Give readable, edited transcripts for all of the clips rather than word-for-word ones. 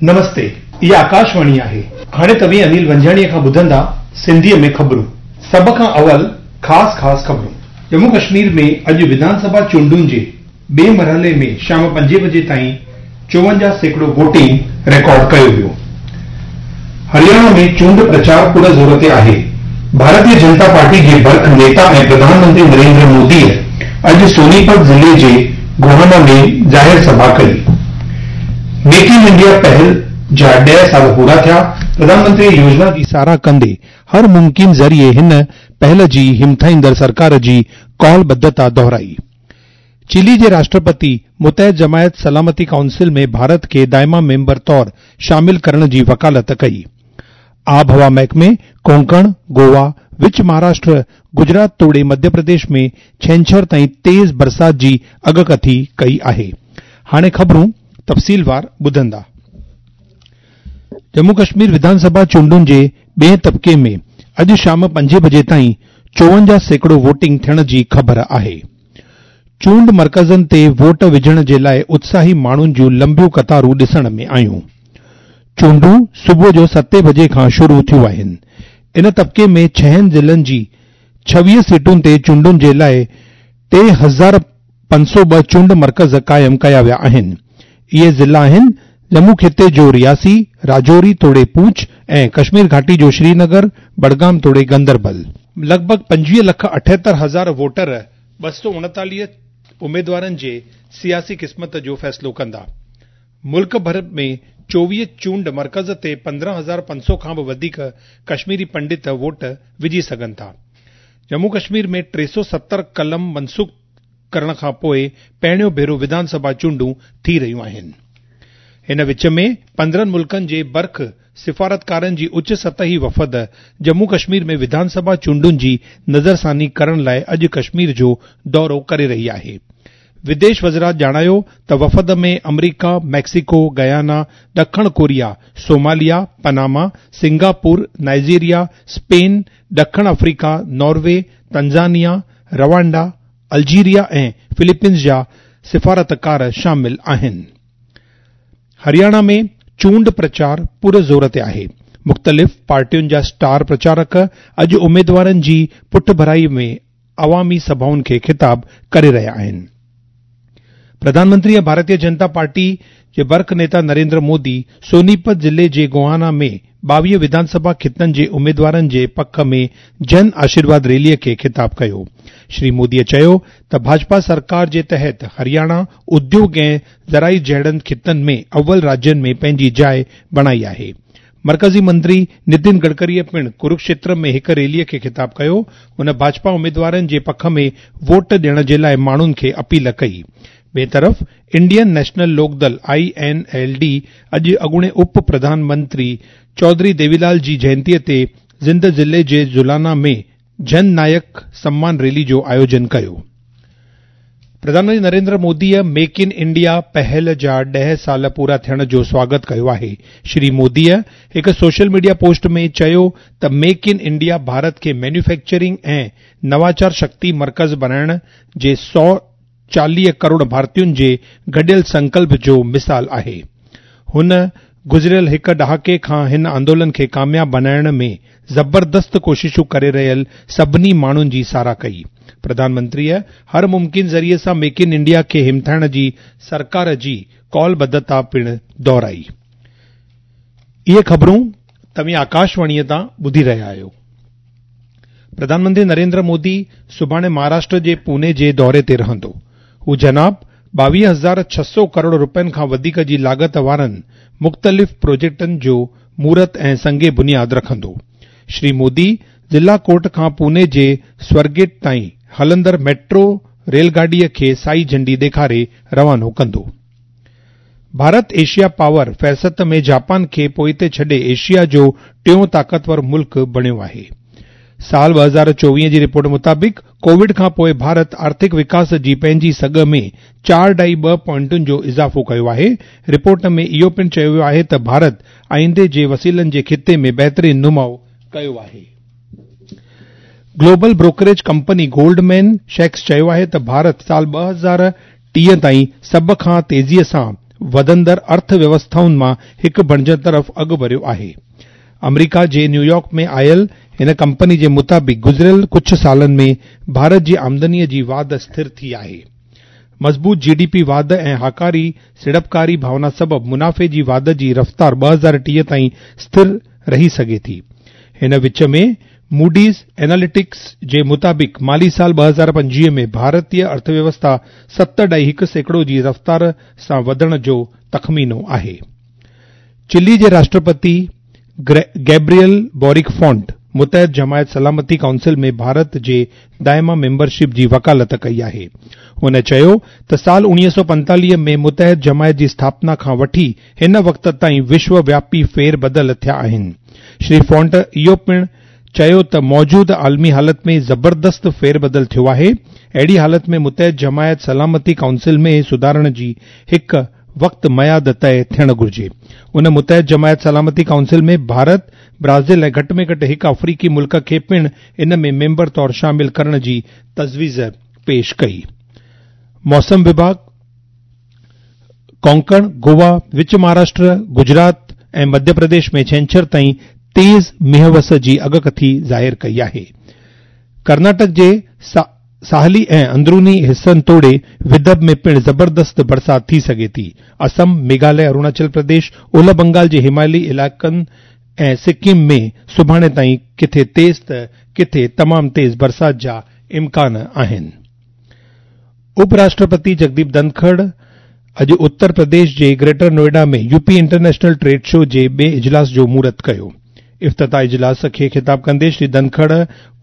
نمستي، اها آڪاشواڻي آهي. هاڻي توهين انيل ونجهاڻيء کان ٻڌندا سنڌيء ۾ خبرون. سڀ کان اول خاص خاص خبرون. ڄمون ڪشمير ۾ اڄ وڌان سڀا چونڊن جي ٻئي مرحلي ۾ شام پنجين بجي تائين 54% ووٽنگ رڪارڊ ڪيو ويو. هرياڻا ۾ چونڊ پرچار پر زور تي آهي. ڀارتيه جنتا پارٽي جي برک نيتا ۽ پرڌان منتري نريندر موديء اڄ سونيپت ضلعي جي گوهانا ۾ ظاهر سڀا ڪئي. ميڪ ان انڊيا پهل جا 10 سال پورا ٿيا، پرڌان منتري يوجنا جي ساراهه ڪندي هر ممڪن ذريعي هن پهل جي همٿائيندڙ سرڪار جي قول ٻڌتا دهرائي. چلي جي راشٽرپتي متحد جماعت سلامتي ڪائونسل ۾ ڀارت کي دائما ميمبر طور شامل ڪرڻ جي وڪالت ڪئي. آبهوا محڪمي ڪونڪڻ، گوا، وچ مهاراشٽر، گجرات توڙي مڌيه پرديش ۾ ڇنڇر تائين تيز برسات جي اڳڪٿي ڪئي آهي. هاڻي خبرون تفصيلوار ٻڌندا. ڄمون ڪشمير وڌان سڀا چونڊن جي ٻئين طبقي ۾ اڄ شام پنجين بجي تائين 54% ووٽنگ ٿيڻ جي خبر آهي. چونڊ مرڪزن تي ووٽ وجهڻ جي لاء اتساهي ماڻهن جون لنبيون قطارون ڏسڻ ۾ آيون. چونڊون صبح جو ستين بجي کان شروع ٿيون آهن. ان طبقي ۾ ڇهن ضلعن جي 26 سيٽن تي چونڊن جي لاء 3502 چونڊ مرڪز قائم ڪيا ويا آهن. اهي ضلعا آهن ڄمون خطي جو رياسي، راجوري توڙي پونڇ ۽ ڪشمير گهاٽي جو شرينگر، بڊگام توڙي گندربل. لڳ ڀڳ 25 لک 78 هزار ووٽر 239 اميدوارن جي سياسي قسمت جو فيصلو ڪندا. ملڪ ڀر ۾ 24 چونڊ مرڪز تي 15,500 کان به وڌيڪ ڪشميري پنڊت ووٽ وجهي سگهن ٿا. ڄمون ڪشمير ۾ 370 قلم منسوخ ڪرڻ کان پوء پهريون ڀيرو وڌان سڀا چونڊون ٿي رهيون آهن. هن وچ ۾ 15 ملڪن جي برک سفارتڪارن جي اچ سطحي وفد ڄمون ڪشمير ۾ وڌان سڀا چونڊن جي نظرثاني ڪرڻ لاء اڄ ڪشمير جو دورو ڪري رهي آهي. وديش وزارت ڄاڻايو ته وفد ۾ آمريڪا، ميڪسيڪو، گيانا، ڏکڻ Korea, Somalia, Panama, Singapore, Nigeria, Spain, ڏکڻ آفريڪا، ناروي، تنزانيا، روانڊا، الجيريا ۽ فلپينز جا سفارتڪار شامل آهن. هرياڻا ۾ چونڊ پرچار پر زور تي آهي. مختلف پارٽين جا اسٽار پرچارڪ اڄ اميدوارن جي پٺڀرائي ۾ عوامي سڀائن کي خطاب ڪري رهيا آهن. پرڌان منتري ۽ ڀارتيه جنتا پارٽي جي برک نيتا نريندر مودي سونيپت ضلعي جي گوهانا ۾ 22 وڌان سڀا خطن جي اميدوارن جي پک ۾ جن آشيرواد ريليء کي خطاب ڪيو. شري موديء چيو ته ڀاجپا سرڪار جي تحت هرياڻا اديوگ ۽ زرعي جهڙن خطن ۾ اول راجين ۾ پنهنجي جاء بڻائي آهي. مرڪزي منتري نتن گڊڪريء پڻ ڪروڪشيتر ۾ هڪ ريليء کي خطاب ڪيو. هن ڀاجپا اميدوارن جي پک ۾ ووٽ ڏيڻ جي لاء ماڻهن کي اپيل ڪئي. ٻئي طرف انڊين نيشنل لوڪ دل، I N L D, اڄ اڳوڻي اپ پرڌان منتري چوڌري ديوي لال جي جينتيء تي جند ضلعي جي جولانا ۾ جن نايڪ سمان ريلي جو آيوجن ڪيو. Pradhan Mantri Narendra موديء make in India پهل جا 10 سال پورا ٿيڻ جو سواگت ڪيو آهي. شري موديء هڪ سوشل ميڊيا پوسٽ ۾ چيو ته ميڪ ان انڊيا ڀارت کي مينوفيڪچرنگ ۽ نواچار شڪتي مرڪز بڻائڻ جي 140 ڪروڙ ڀارتين جي گڏيل سنڪلپ جو مثال آهي. هن گذريل هڪ ڏهاڪي کان هن آندولن کي ڪامياب بڻائڻ ۾ زبردست ڪوششون ڪري رهيل سڀني ماڻهن جي ساراهه ڪئي. پرڌان منتريء هر ممڪن ذريعي سان ميڪ ان انڊيا کي همٿائڻ جي سرڪار جي قول ٻڌتا پڻ دهرائي. اهي خبرون توهين آڪاشواڻيء تان ٻڌي رهيا آهيو. پرڌان منتري نريندر مودي سڀاڻي مهاراشٽر جي پوني جي دوري تي رهندو. هو جناب 22,600 ڪروڙ رپين کان وڌيڪ جي لاڳت وارن مختلف پروجيڪٽن جو مهورت ۽ سنگ بنياد رکندو. شري مودي ضلع ڪورٽ کان پوني جي سورگيٽ تائين هلندڙ ميٽرو ريل گاڏيء کي سائي جهنڊي ڏيکاري روانو ڪندو. ڀارت ايشيا پاور فهرست ۾ جاپان کي پوئتي ڇڏي ايشيا جو ٽيون طاقتور ملڪ بڻيو آهي. سال 2024 جي رپورٽ مطابق ڪووڊ کان پوء ڀارت آرٿڪ وڪاس جي پنهنجي سگهه ۾ 4.2 پوائنٽن جو اضافو ڪيو آهي. رپورٽ ۾ اهو پڻ چيو ويو آهي ته ڀارت آئيندي جي وسيلن جي خطي ۾ بهترين نماء ڪيو آهي. Global brokerage company Goldman shacks چيو آهي ته ڀارت سال 2030 تائين سڀ کان تيزيء سان وڌندڙ ارٿ ويوسٿائن مان هڪ بڻجڻ طرف اڳڀريو آهي. آمريڪا جي نيويارڪ ۾ آيل هن ڪمپني جي مطابق گذريل ڪجهه سالن ۾ ڀارت جي آمدني جي واڌ اسٿر ٿي آهي. مضبوط جي ڊي پي واڌ ۽ هاڪاري سيڙپڪاري ڀاونا سبب منافعي جي واڌ جي رفتار 2030 تائين اسٿر رهي سگهي ٿي. هن وچ ۾ موڊيز ايناليٽڪس جي مطابق مالي سال 2025 ۾ ڀارتي ارٿويوسٿا 7.1% جي رفتار سان وڌڻ جو تخمينو آهي. چلي جي راشٽرپتي گيبريل بورڪ فونٽ متحد جماعت سلامتي ڪائونسل ۾ ڀارت جي دائما ميمبرشپ جي وڪالت ڪئي آهي. هن چيو ته سال 1945 ۾ متحد جماعت جي اسٿاپنا کان وٺي هن وقت تائين وشو وياپي ڦير بدل ٿيا آهن. شري فونٽ اهو پڻ چيو ته موجوده عالمي حالت ۾ زبردست ڦير بدل ٿيو آهي، اهڙي حالت ۾ متحد جماعت سلامتي ڪائونسل ۾ سڌارڻ جي هڪ وقت ميعاد طئي ٿيڻ گهرجي. ان متحد جماعت سلامتي ڪائونسل ۾ ڀارت، برازيل ۽ گهٽ ۾ گهٽ هڪ آفريقي ملڪ کي پڻ ان ۾ ميمبر طور شامل ڪرڻ جي تجويز پيش ڪئي. موسم وڀاڳ ڪونڪڻ، گوا، وچ مهاراشٽر، گجرات ۽ مڌيه پرديش ۾ ڇنڇر تائين تيز مينهن وس جي اڳڪٿي ظاهر ڪئي آهي. ڪرناٽڪ جي ساحلي ۽ اندروني حصن توڙي ودرڀ ۾ پڻ زبردست برسات ٿي سگهي ٿي. اسم، ميگهاليه، اروناچل پرديش، اولهه بنگال جي هماليي علائقن ۽ سڪم ۾ سڀاڻي تائين ڪٿي تيز ته ڪٿي تمام تيز برسات جا امڪان آهن. اپ راشٽرپتي جگديپ ڌنکڙ اڄ اتر پرديش جي greater Noida ۾ UP international trade show جي ٻئي اجلاس جو مهورت ڪيو. افتتاح اجلاس کي خطاب ڪندي شري ڌنکڙ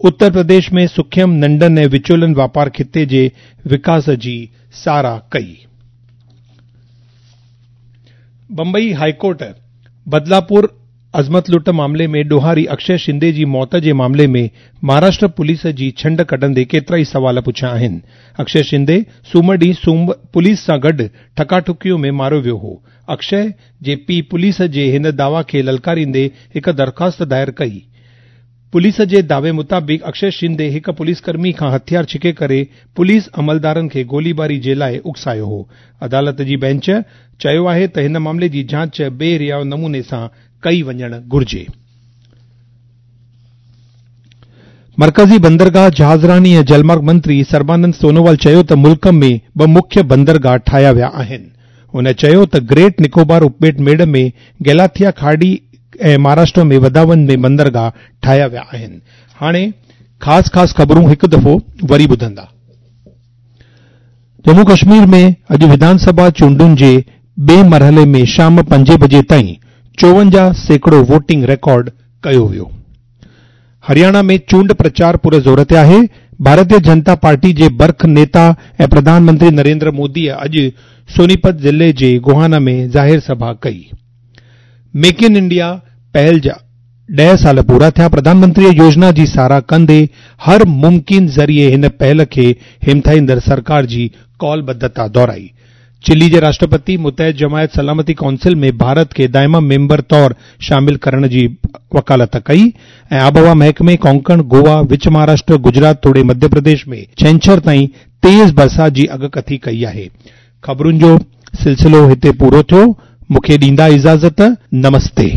اتر پرديش ۾ سکيم، ننڍن ۽ وچولن واپار خطي جي وڪاس جي ساراهه ڪئي. بمبئي هائيڪورٽ بدلاپور عصمت لٽ معاملي ۾ ڏوهاري اڪشي شندي جي موت جي معاملي ۾ مهاراشٽر پوليس جي ڇنڊ ڪڍندي ڪيترائي سوال پڇيا آهن. اڪشي شندي سومر ڏينهن پوليس سان گڏ ٺڪاٺڪيء ۾ ماريو ويو هو. اڪشي جي پيء پوليس جي هن دعويٰ کي للڪاريندي هڪ درخواست دائر ڪئي. پوليس جي دعوي مطابق اڪشي شندي هڪ پوليس ڪرمي کان هٿيار ڇڪي ڪري پوليس عملدارن کي گوليباري جي لاء اڪسايو هو. عدالت جي بينچ چيو آهي ته هن معاملي جي جاچ بي رياء نموني سان ڪئي وڃڻ گهرجي. مرڪزي بندرگاهه، جهازراني ۽ جلمارگ منتري سربانند سونووال چيو ته ملڪ ۾ ٻه مکيه بندرگاهه ٺاهيا ويا آهن. هن چيو ته گريٽ نڪوبار اپٻيٽ ميڙ ۾ گيلاٿيا کاڙي ۽ مهاراشٽر ۾ وڌاون ۾ بندرگاهه ٺاهيا ويا آهن. هاڻي خاص خاص خبرون هڪ دفعو وري ٻڌندا. ڄمون ڪشمير ۾ اڄ وڌان سڀا چونڊن جي ٻئي مرحلي ۾ شام پنجين بجي تائين 54% ووٽنگ رڪارڊ ڪيو ويو. هرياڻا ۾ چونڊ پرچار پور زور تي آهي. ڀارتيه جنتا پارٽي جي برک نيتا ۽ پرڌان منتري نريندر موديء اڄ سونيپت ضلعي جي گوهانا ۾ ظاهر سڀا ڪئي. ميڪ ان انڊيا پهل جا ڏهه سال پورا ٿيا، پرڌان منتريء يوجنا جي ساراهه ڪندي هر ممڪن ذريعي هن پهل کي همٿائيندڙ سرڪار جي قولبڌتا دهرائي. چلي جي راشٽرپتي متحد جماعت سلامتي ڪائونسل ۾ ڀارت کي دائما ميمبر طور شامل ڪرڻ جي وڪالت ڪئي ۽ آبهوا محڪمي ڪونڪڻ، گوا، وچ مهاراشٽر، گجرات توڙي مڌيه پرديش ۾ ڇنڇر تائين تيز برسات جي اڳڪٿي ڪئي آهي. خبرن جو سلسلو هتي پورو ٿيو. مون کي ڏيندا اجازت. نمستي.